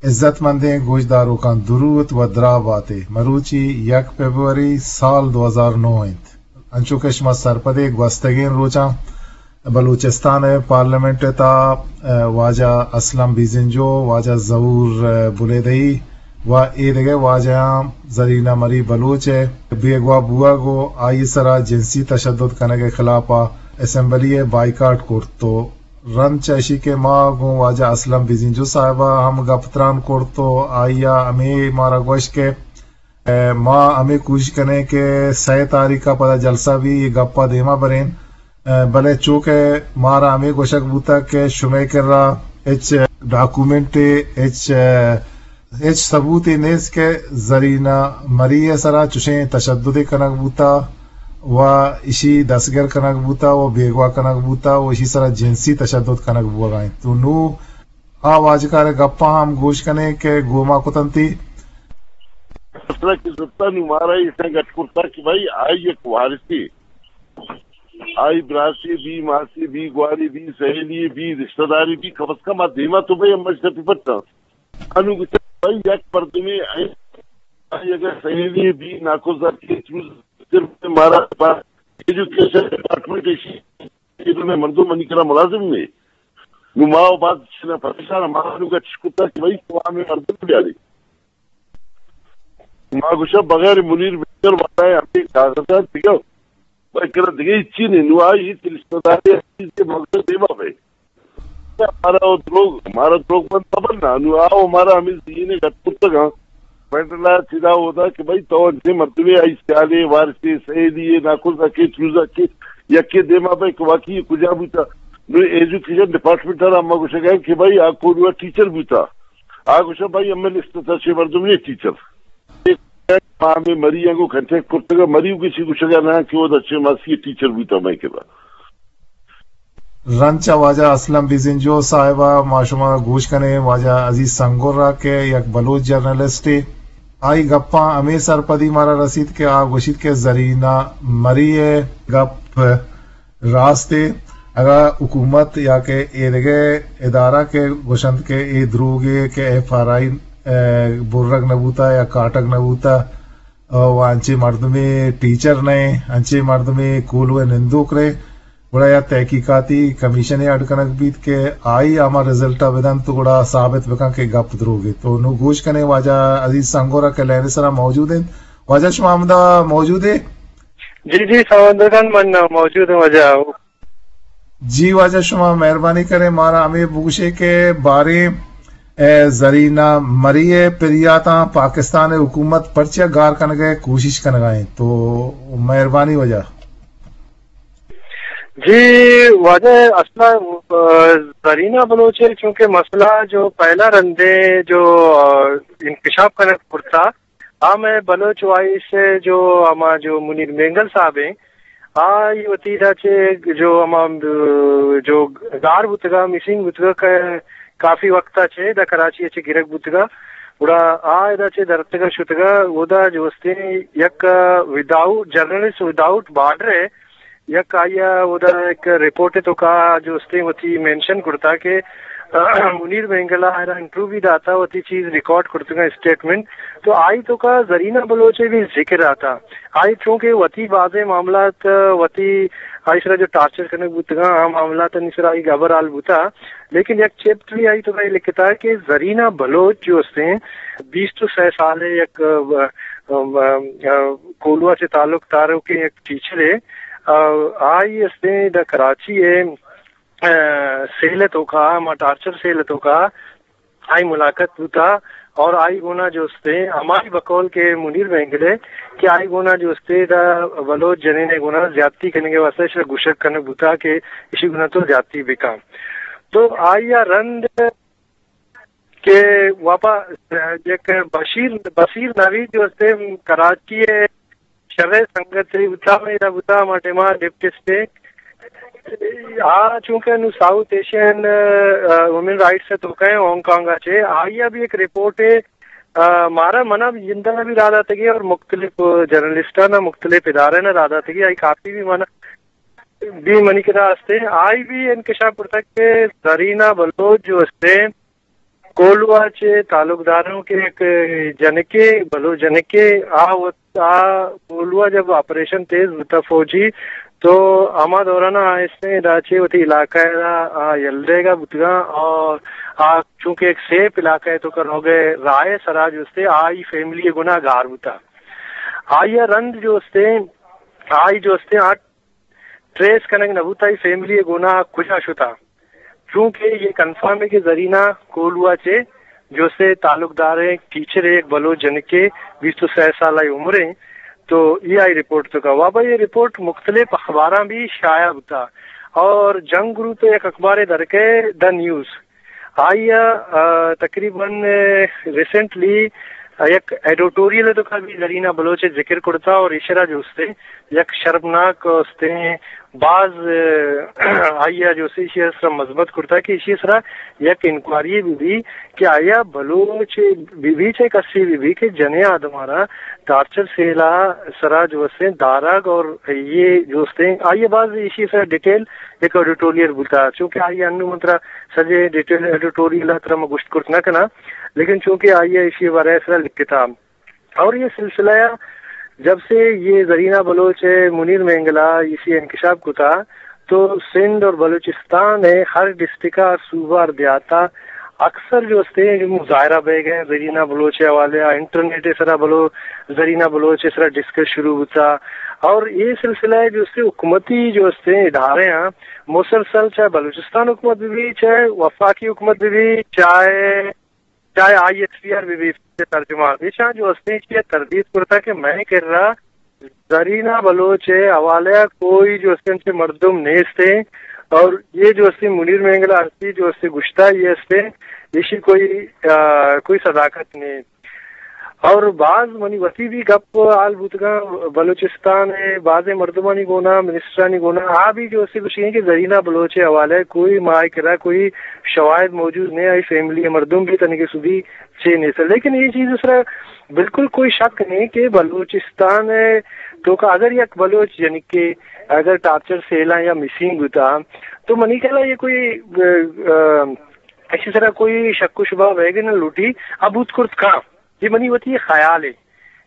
عزت مندیں گوشداروکاں دروت و دراہ باتے۔ مروچی یک فبروری سال دو ہزار نو انت۔ انچو کہ شما سرپدے گوستگیں روچاں بلوچستان ء پارلیمنٹ ء تہا، ء، واجہ اسلم بیزنجو، واجہ ظہور، ء، بلیدئی و اے دگہ واجہاں زرینہ مری بلوچ ء بیگواہ بوہگ و آئی ء سرا جنسی تشدد کنگ ء خلاف ء اسمبلی ء بائیکاٹ کرت و رند چہ اشی کہ ما گوں واجہ اسلم بیزنجو صاحب ء ہم گپ تران کرت و آئی ء ہمے مارا گوشت کہ ء ما ہمے کوشش کنیں کہ سئے تاریخ ء پدا جلسہ بی، اے گپ ء دیما بریں۔ ء بلے چوکہ مارا ہمے گوشگ بوتگ کہ شمئے کرا ہچ ڈاکومنٹے، ہچ، ہچ ثبوتے نیست کہ زرینہ مری ء سرا چشیں تشددے کنگ بوتا و اشی دستگر کنگ بوتا و بیگواہ کنگ بوتا و اشی سرا جنسی تشدد کنگ بوگا انت۔ تو نوں آ واجکار ء گپاں ہم گوش کنیں کہ گوما کتنتی۔ مسئلہ کہ زرتا نوں مارا ایسا گٹ کرتا کہ بھائی آئی یک وارثے، آئی براسے بی، ماسے بی، گوارے بی، سہیلی بی، رشتہ دارے بی، کم از کم آ دیما تو بھائی ہم مجلس پہ پٹا۔ انو گوشتا بھائی یک مردمے آئی، آئی اگر سہیلی بی، ناکوزا کے چوز صرف مارا ایجوکیشن ڈپارٹمنٹ ایشی کہ دومی مردم منی کرا ملازم نے۔ نو ما و باز چیزاں پریشان، ما نو گچ کتا کہ بھائی تو ہمیں مردم بیاری۔ ما گوشا بغیر منیر مینگل والا ہمیں کاغذات دیگا، بھائی کرا دیگه چی نہیں۔ نو آئی ہیچ رشتہ داری چیز کے مقصد دیما بھائی۔ مارا وہ دروگ، مارا دروگ بند خبر نہ، نو آو مارا ہمیں ذہن گٹ کتگا۔ فیڈرل ء چدا ہودا کہ بھئی تو انچیں مردمے آئی سیالے وارثے سہیلی ء ناکوزا کے چوزا کے یکے دیما بھئی کہ واقعی کجا بوتا۔ نو ایجوکیشن ڈپارٹمنٹ ء را ما گوشگا کہ بھئی آ کوروا ٹیچر بوتا۔ آ گوشا بھئی ہمیں لسٹ تا چھ مردم نے ٹیچر۔ ما ہمیں مری آنگو کنٹیکٹ کرتگا، مری گوشی گوشگا نہ کہ وہ اچھے ماسی ٹیچر بوتا میں کرا۔ رند چہ واجہ اسلم بزنجو صاحب ء ما شما گوش کنیں واجہ عزیز سنگور ء کہ یک بلوچ جرنلسٹے، آئی گپاں ہمے سرپدی مارا رسیت کہ آ گوشیت کہ زرینہ مری ء گپ راستے۔ اگاں حکومت یا کہ ایدگہ ادارہ کہ گوشنت کہ اے دروگے کہ ایف آر آئی برگ نہ بوتا یا کاٹگ نہ بوتا، و انچیں مردمے ٹیچر نہ ایں، انچیں مردمے کولو ء نندوک رہے، گڑا یا تحقیقاتی کمیشنے اڈ کنگ بیت کہ آئی ہما رزلٹ ء بدنت تو گڑا ثابت بکن کہ گپ دروگ ء۔ تو نو گوش کنے واجہ عزیز سنگور ء کہ لین سرا موجود انت۔ واجہ شما ہمدا موجود ہے؟ جی جی سمندر خان من موجود ہوں واجہ۔ جی واجہ شما مہربانی کریں مارا ہمیں بگوشے کہ باریں اے زرینہ مری ء پریاتاں پاکستان ء حکومت پرچہ گار کنگ ء کوشش کنگ ء انت؟ تو مہربانی واجہ۔ جی واجہ اصلا، آ، زرینہ بلوچ ء چونکہ مسئلہ جو پہلا رندے جو، آ، انکشاف کنگ کرتا، آ مئے بلوچ وائس ء جو ہما جو منیر مینگل صاحب ہیں، آ ای وتی دا چہ جو ہما، جو گار بوتگا، مسنگ بوتگا کہ کافی وقت ء چہ دا کراچی ء چہ گرگ بوتگا۔ گڑا آ ادا چہ درتگا شتگا، اودا جو استیں یک وداؤٹ، جرنلسٹ وداؤٹ بارڈر ء یک آئی ء اودا یک رپورٹ ء توکا جو استیں وتی مینشن کرتا کہ منیر مینگل ء آئرا انٹرویو بھی داتا، وتی چیز ریکارڈ کرتگا اسٹیٹمنٹ۔ تو آئی توکا زرینہ بلوچ ء بھی ذکر آتا۔ آئی چونکہ وتی بازیں معاملات، وتی آئی سرا جو ٹارچر کنگ بوتگا، آ معاملات آنی سرا آئی گبر حال بوتا۔ لیکن یک چیپٹر بھی آئی توکا لکھتا کہ زرینہ بلوچ جو استیں بیست و سہ سال ء یک، ا، ا، ا، کولوا سے تعلق دار کہ یک ٹیچر ہے، آ، آئی استیں دا کراچی ہے، آ، سیل توکا، ما ٹارچر سیل توکا، آئی ملاقات بوتا اور آئی گونا جو استے ہمائی بقول کے منیر مینگل ہے کہ آئی گونا جو استے دا بلوچ جنین گونا زیادتی کرنے کے واسطے اشرا گشک کرنے بوتا کہ اشی گونا تو زیادتی بکا۔ تو آئی رند کہ واپا یک بشیر، بشیر نوید جو استے کراچی ہے، شریں سنگتے بوتا، میرا بوتا، ہما ٹائما ڈپٹی اسٹیک۔ آ چونکہ نو ساؤتھ ایشین، آ، وومن رائٹس ء توکا ہیں ہانگ کانگ ء چے، آئی ء بھی ایک رپورٹ ہے، آ، مارا منا بھی جندنا بھی را داتگی اور مختلف جرنلسٹاں نا مختلف ادارے نا را داتگی، آئی کافی بھی منا بھی منی کرا ہستے۔ آئی بھی انکشاف کرتا کہ زرینہ بلوچ جو ہستے، کولوا چہ تعلق داروں کہ یک جنکے، بلوچ جنکے، آ وت-، آ کولوا جب آپریشن تیز بوتا فوجی، تو ہما دوران آ استیں ادا چہ وتی علاقہ ءَ را آ یل دیگا بوتگاں اور آ چونکہ یک سیف علاقہ ءِ توکا روگ ءِ راہ ءِ سرا جو استے آئی فیملی ءِ گونا گار بوتا۔ آئی ءَ رند جو استے، آئی جو استے آ ٹریس کنگ نہ بوتا، آئی فیملی ءِ گونا کجا شتا۔ چونکہ یہ کنفرم ہے کہ زرینہ کولوا چہ جو سے تعلق دار ہیں، ٹیچر ہے، ایک بلوچ جنکے، بیست و سہ سال عمر ہیں۔ تو یہ آئی رپورٹ تو کا وابا، یہ رپورٹ مختلف اخباراں بھی شائع ہوتا اور جنگ گروپ ایک اخبار درکے دا نیوز، آئی ءَ، آ، تقریباً، آ، ریسنٹلی، آ، یک ایڈیٹوریل ءِ توکا بھی زرینہ بلوچ ءِ ذکر کرتا اور ایشرا جو استے یک شرمناک استے باز، آ، آئی ءَ جو استے ایشی سرا مذمت کرتا کہ ایشی سرا یک انکوائری بہ بی کہ آیا بلوچ بہ بی چاہے کسی بہ بی کہ جنیں آدمارا ٹارچر سیلا سرا جو استے دارگ اور یہ جو استے آئی ءَ باز ایشی سرا ڈیٹیل یک ایڈیٹوریل بوتا، چونکہ آئی انو من ترا سجے ڈیٹیل ایڈیٹوریل ترا میں گوشت کرت نہ کنا، لیکن چونکہ آئی ایشی بارے سرا لکھتا۔ اور یہ سلسلہ جب سے یہ زرینہ بلوچ ہے، منیر مینگلا اسی انکشاف کتا، تو سندھ اور بلوچستان ہے، ہر ڈسٹرکٹ اور صوبہ اور دیہاتا اکثر جو استے ہیں، جو مظاہرہ بہ گئے زرینہ بلوچ حوالے، انٹرنیٹ سرا بلو، زرینہ بلوچ سرا ڈسکس شروع ہوتا۔ اور یہ سلسلہ ہے جو استے حکومتی جو استے ادارے ہیں، مسلسل چاہے بلوچستان حکومت بھی، چاہے وفاقی حکومت بھی، چاہے، چاہے آئی ایس پی آر بھی، بھی ترجمان ایشاں جو استے کی تردید کرتا کہ میں کر رہا زرینہ بلوچ ءِ حوالہ ءَ کوئی جو استے انچے مردم نیست ہیں اور یہ جو استے منیر مینگلا ہستی جو استے گشتا یہ استے ایشی کوئی، آ، کوئی صداقت نہیں۔ اور بعض منی وتی بھی گپ حال بوتگاں بلوچستان ءِ بعض مردمانی گونا، منسٹرانی گونا، آ بھی جو استے گوشی ہیں کہ زرینہ بلوچ ءِ حوالہ ءَ کوئی ماہ کرا کوئی شواہد موجود نہیں، آئی فیملی مردم بھی تنگے سدی چے نیست۔ لیکن یہ چیز سرا بالکل کوئی شک نہیں کہ بلوچستان ءِ توکا اگر یک بلوچ یعنی کہ اگر ٹارچر سیلاں یا مسنگ بوتا تو منی خیال ءَ یہ کوئی، آ، آ، ایشی سرا کوئی شک و شبہ بیگ نہ لوٹی، ابوت کرت کاں۔ یہ منی وتی خیال ہے۔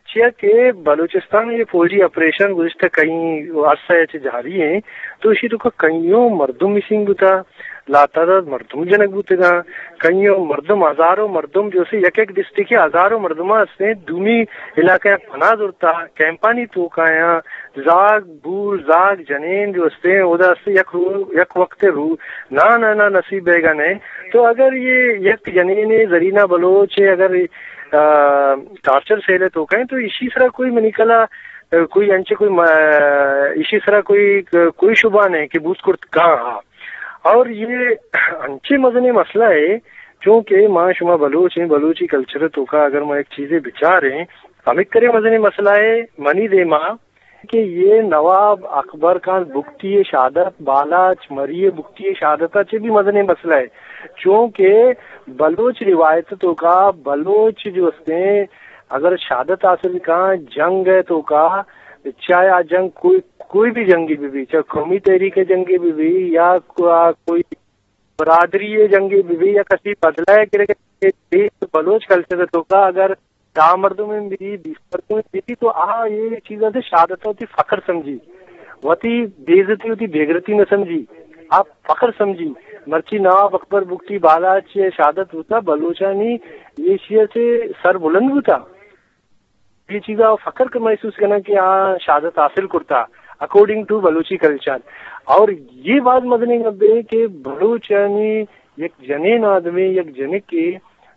چیا کہ بلوچستان یہ فوجی آپریشن گزشتہ کئی عرصہ چہ جاری ہیں، تو اسی تو کا کئیوں مردم مسنگ بوتا، لاتعداد مردم جنگ بوتگاں، کئیوں مردم، ہزاروں مردم جو سے یک یک ڈسٹرکٹ کے ہزاروں مردم ہستیں، دومی علاقہ پناہ زرتا، کیمپانی توکایاں، زاگ بور، زاگ جنین جو ہستیں، اودا ہستیں یک رو-، یک وقت رو-، نا، نا، نا، نصیب بیگا نہیں۔ تو اگر یہ یک جنین زرینہ بلوچ ہے، اگر آ، ٹارچر سیل ءِ توکا ایں، تو ایشی سرا کوئی منی خیال ءَ، آ، کوئی انچے کوئی ما-، ایشی سرا کوئی، کوئی شبہ نہیں کہ بوت کرت کاں ہا۔ اور یہ انچے مزنیں مسئلہ ہے، چونکہ ما شما بلوچ ہیں، بلوچی کلچر ءِ توکا اگر ما ایک چیزے بچاریں، ہمیں کرے مزنیں مسئلہ ہے منی دیما کہ یہ نواب اکبر خان بگٹی ءِ شہادت، بالاچ مری ءِ بگٹی ءِ شہادت ءَ چہ بھی مزنیں مسئلہ ہے، چونکہ بلوچ روایت ءِ توکا بلوچ جو ہستیں اگر شہادت حاصل کاں جنگ ءِ توکا، چاہے آ جنگ کوئی، کوئی بھی جنگی بہ بی، چاہے قومی تحریک ءِ جنگی بہ بی یا کو-، آ کوئی برادری ءِ جنگے بہ بی یا کسی بدلہ ءِ کرے بہ بی، بلوچ کلچر ءِ توکا اگر دہ مردم بہ بی، بیست مردم بہ بی، تو آ یہ چیز ءَ شہادت ءَ وتی فخر سمجھی، وتی بے عزتی، وتی بے غیرتی نہ سمجھی، آ فخر سمجھی۔ مرچی نواب اکبر بگٹی بالاچ ءِ شہادت بوتا، بلوچانی یہ چیز سے سر بلند بوتا۔ یہ چیزا فخر کا محسوس کرنا کہ آ شہادت حاصل کرتا اکارڈنگ ٹو بلوچی کلچر۔ اور یہ بات مزنیں گپ ہے کہ بلوچانی یک جنین آدمی، یک جنکے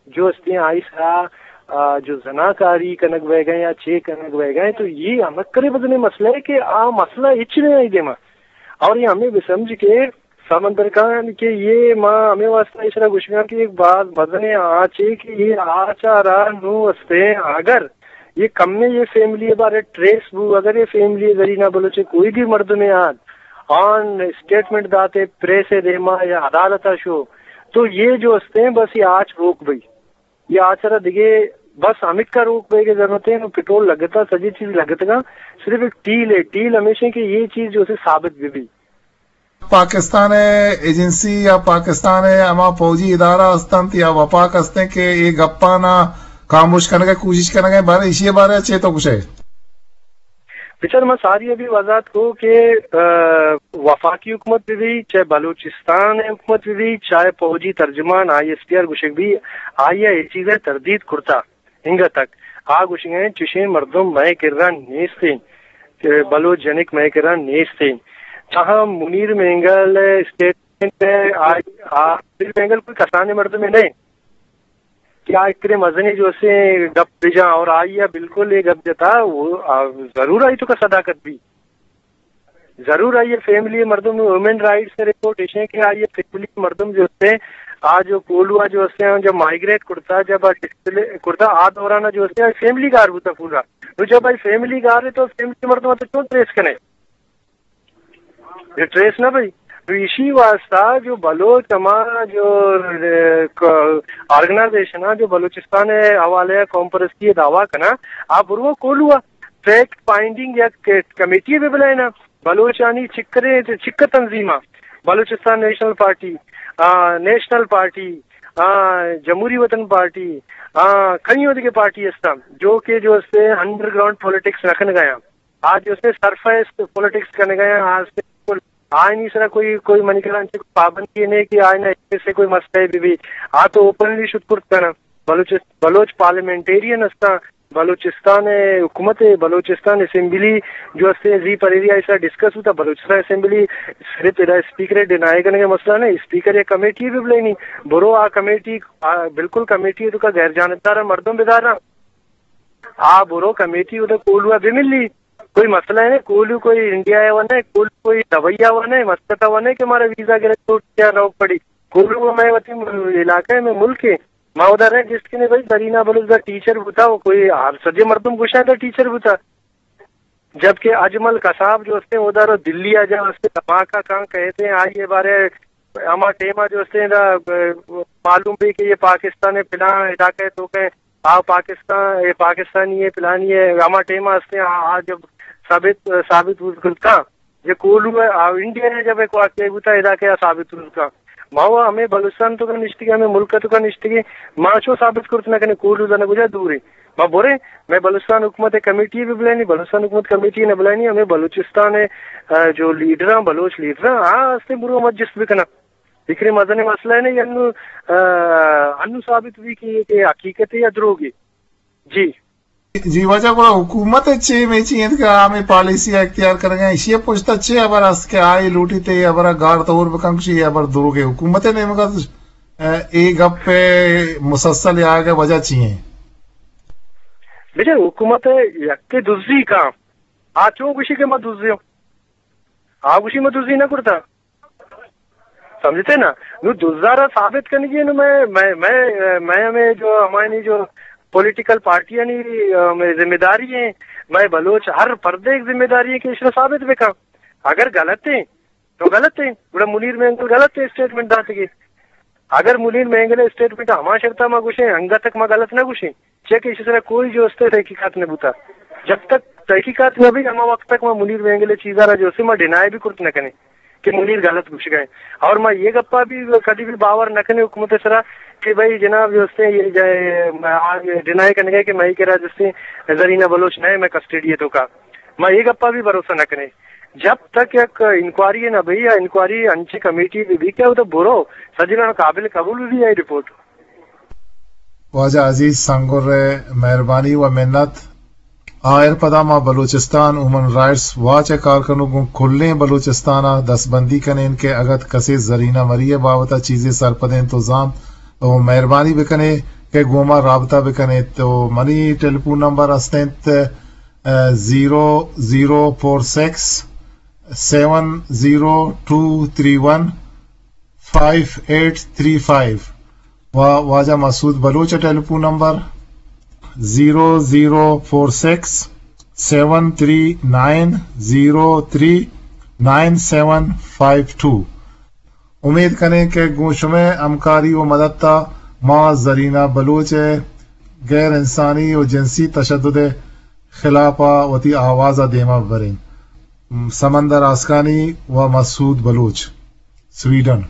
جو ہستیں آئی سرا، آ، جو زناکاری کنگ بیگا یا چے کنگ بیگا، تو یہ ہمک کرے مزنیں مسئلہ ہے کہ آ مسئلہ ہچ نہیں آئی دیما۔ اور یہ ہمیں بھی سمجھ کہ سمندر خان کہ یہ ما ہمیں واسطہ اشرا گوشگاں کہ ایک بات مزنیں آچے کہ یہ آچا را نو ہستیں، اگر یہ کم میں یہ فیملی بارے ٹریس بو، اگر یہ فیملی زرینہ بلوچ کوئی بھی مردم آن آن اسٹیٹمنٹ داتے پریس دیما یا عدالت شو، تو یہ جو ہستیں بس یہ آچ روک بئی۔ یہ آچ را دگے بس ہمکا روک بئی کے ضرورت ہے، نو پٹرول لگتا، سجی چیز لگتگا، صرف ایک ٹیل ہے، ٹیل ہمیشہ کہ یہ چیز جو سے ثابت بھی بھی۔ پاکستان ءِ ایجنسی یا پاکستان ءِ ہما فوجی ادارہ ہست انت یا وفاق ہست انت کہ اے گپاں ءَ خاموش کنگ ءِ کوشش کنگ ءَ انت، بارے ایشی ءِ بارے ءَ چے تو گوشئے؟ بچار، ما ساری ابھی وضاحت کو کہ، آ، وفاقی حکومت بہ بی، چاہے بلوچستان ءِ حکومت بہ بی، چاہے فوجی ترجمان آئی ایس پی آر گوشگ بی، آئی ءَ اے چیز ءِ تردید کرتا۔ انگت تک آ گوشگ ءَ انت، چشیں مردم مئے کرا نیست انت، کہ بلوچ جنک مئے کرا نیست انت۔ تاہم منیر مینگل ءِ اسٹیٹمنٹ ءَ آ، آ، منیر مینگل کوئی کسانیں مردمے نہ انت کہ آ اتنے مزنیں جو اسے گپ بجاں، اور آئی ءَ بالکل اے گپ جتا، وہ، آ، ضرور آئی توکا صداقت بی۔ ضرور آئی ءِ فیملی ءِ مردم، ہیومن رائٹس ءِ رپورٹ ایش انت کہ آئی ءِ فیملی ءِ مردم جو ہست انت، آ جو کوہلو ءَ جو ہست انت، جب مائیگریٹ کرتا، جب آ ڈسپلیس کرتا، آ دوران ءَ جو ہست انت، آئی فیملی گار بوتا پورا۔ نو جب آئی فیملی گار ہے تو فیملی ءِ مردم تو چون ٹریس کنے؟ یہ ٹریس نہ بھئی۔ تو ایشی واسطہ جو بلوچ ہما جو، اے، ک-، آرگنائزیشن ءَ جو بلوچستان ءِ حوالے ءَ قوم پرستی ءِ دعویٰ کنا، آ برو کوہلو ءَ فیکٹ فائنڈنگ یک کمیٹی بہ بلائینا۔ بلوچانی چکریں، چکر تنظیماں، بلوچستان نیشنل پارٹی، آ، نیشنل پارٹی، آ، جمہوری وطن پارٹی، آ، کئی دگہ پارٹی ہستاں، جو کہ جو استے انڈر گراؤنڈ پولیٹکس نہ کنگ ءَ آں۔ آ جو استے سرفیس پولیٹکس کنگ ءَ آں، آ استے بالکل آئینی سرا کوئی، کوئی منی کرا انچیں پابندی نہیں کہ آئین ءَ ایسے کوئی مسئلہ بہ بی۔ آ تو اوپنلی شت کرت کناں۔ بلوچ، بلوچ پارلیمنٹیرین ہستاں، بلوچستان ءِ حکومت ءِ، بلوچستان اسمبلی جو استے زی پریری آئی سرا ڈسکس بوتا، بلوچستان اسمبلی صرف ادا اسپیکر ءِ ڈینائی کنگ ءِ مسئلہ نہ، اسپیکر ءِ یک کمیٹی بہ بلینی، برو آ کمیٹی، آ، بالکل کمیٹی ءِ توکا غیر جانبدار مردم بداراں، آ برو کمیٹی ادا کوہلو ءَ بہ ملی، کوئی مسئلہ نہ، کوہلو کوئی انڈیا ءَ و نہ، کوہلو کوئی دبئی ءَ و نہ، مسقط ءَ و نہ کہ مارا ویزا گرگ لوٹ یا روک پڑی، کوہلو مئے وتی علاقہ ءَ، مئے ملک ءَ۔ ما اودا رہ گشت کنے بھئی، زرینہ بلوچ دا ٹیچر بوتا، و کوئی ہر سجے مردم گوشاں دا ٹیچر بوتا۔ جبکہ اجمل قصاب جو استے اودا رو دلی آ جا استے دھماکہ کان کہتے ہیں، آئیے بارے ہما ٹیما جو استے دا، اے، معلوم بھی کہ یہ پاکستان ہے، فلاں علاقہ ہے، تو کہ آ پاکستان، یہ پاکستانی ہے، فلانی ہے، ہما ٹیما استے آ، آ جب ثابت، ثابت ہو سکتا۔ یہ کوہلو ءَ، آ، انڈیا ءَ جب ایک واقعہ بوتا، ادا کیا ثابت ہو سکا؟ ما و ہمے بلوچستان توکا نشتگیں، ہمے ملک توکا نشتگیں، ما چو ثابت کرت نہ کنے کوہلو زنگ کجا دور ایں۔ ما بریں، مئے بلوچستان حکومت ءِ کمیٹی بہ بلائینی، بلوچستان حکومت کمیٹی نہ بلائینی، ہمے بلوچستان ءِ، آ، جو لیڈراں، بلوچ لیڈراں، آ ہستیں برو مجلس بکناں۔ فکر مزنیں مسئلہ نہ انو، آ، انو ثابت بی کہ، کہ حقیقت ہے یا دروگ ہے۔ جی۔ جی واجہ، گڑا حکومت ءِ چے میچی انت کہ آ ہمے پالیسی ءَ اختیار کنگ ءَ، ایشی ءِ پشت ءَ چے ہبر است کہ آئی لوٹیت اے ہبر ءَ گار تور بکن، کشی اے ہبر دروگ ءِ؟ حکومت ءِ نیمگ ءَ، اے گپ ءِ مسلسل آیگ ءِ وجہ چی انت؟ بچار، حکومت ءِ یکے دزی کاں، آ چون گوشی کہ ما دزی ہوں؟ آ گوشی ما دزی نہ کرتا۔ سمجھتے نا؟ نو دزا را ثابت کنگی نو مئے، مئے، مئے، مئے ہمے جو ہمانی جو پولیٹیکل پارٹیانی، آ، مئے ذمہ داری ہیں، مئے بلوچ ہر پردے ایک ذمہ داری ہے کہ اس را ثابت بکن۔ اگر غلط ہیں تو غلط ہیں، گڑا منیر مینگل غلط ہے اسٹیٹمنٹ داتگی۔ اگر منیر مینگل اسٹیٹمنٹ ہما شرطا ما گوشیں، انگت تک ما غلط نہ گوشیں۔ چیا کہ ایشی سرا کوئی جو استے تحقیقات نہ بوتا۔ جب تک تحقیقات نہ بی، ہما وقت تک ما منیر مینگل ءِ چیزا را جو استے ما ڈینائی بھی کرت نہ کنے کہ منیر غلط گوشگا ہے۔ اور ما یہ گپا بھی کدی بھی باور نہ کنے حکومت ءِ سرا کہ بھائی جناب جو استے یہ جائے، آ، ڈینائی کنگے کہ مئے کرا جو استے زرینہ بلوچ نہ ہے، مئے کسٹڈی ءِ توکا۔ ما یہ گپا بھی بھروسہ نہ کنے۔ جب تک یک انکوائری نہ بی یا انکوائری انچیں کمیٹی بہ بی کہ او تو برو، سجلان قابل قبول بہ بی آئی رپورٹ۔ واجہ عزیز سنگر ءِ مہربانی و منت۔ آئر پدا ما بلوچستان ہیومن رائٹس واچ ءِ کارکنوک گوں کلیں بلوچستان ءَ دستبندی کنیں کہ اگت کسے زرینہ مری ءِ بابت ءَ چیزے سرپدیں تو زانت، تو مہربانی بکنے کہ گوں ما رابطہ بکنے۔ تو منی ٹیلیفون نمبر است انت، زیرو زیرو فور سکس سیون زیرو ٹو تھری ون فائیو ایٹ تھری فائیو، و واجہ مسعود بلوچ ءِ ٹیلیفون نمبر زیرو زیرو فور سکس سیون تھری نائن زیرو تھری نائن سیون فائیو ٹو۔ امید کنیں کہ گوں شمئے ہمکاری و مدت ءَ ما زرینہ بلوچ ءِ غیر انسانی و جنسی تشدد ءِ خلاف ءَ وتی آواز ءَ دیما ببریں۔ سمندر آسکانی و مسعود بلوچ، سویڈن۔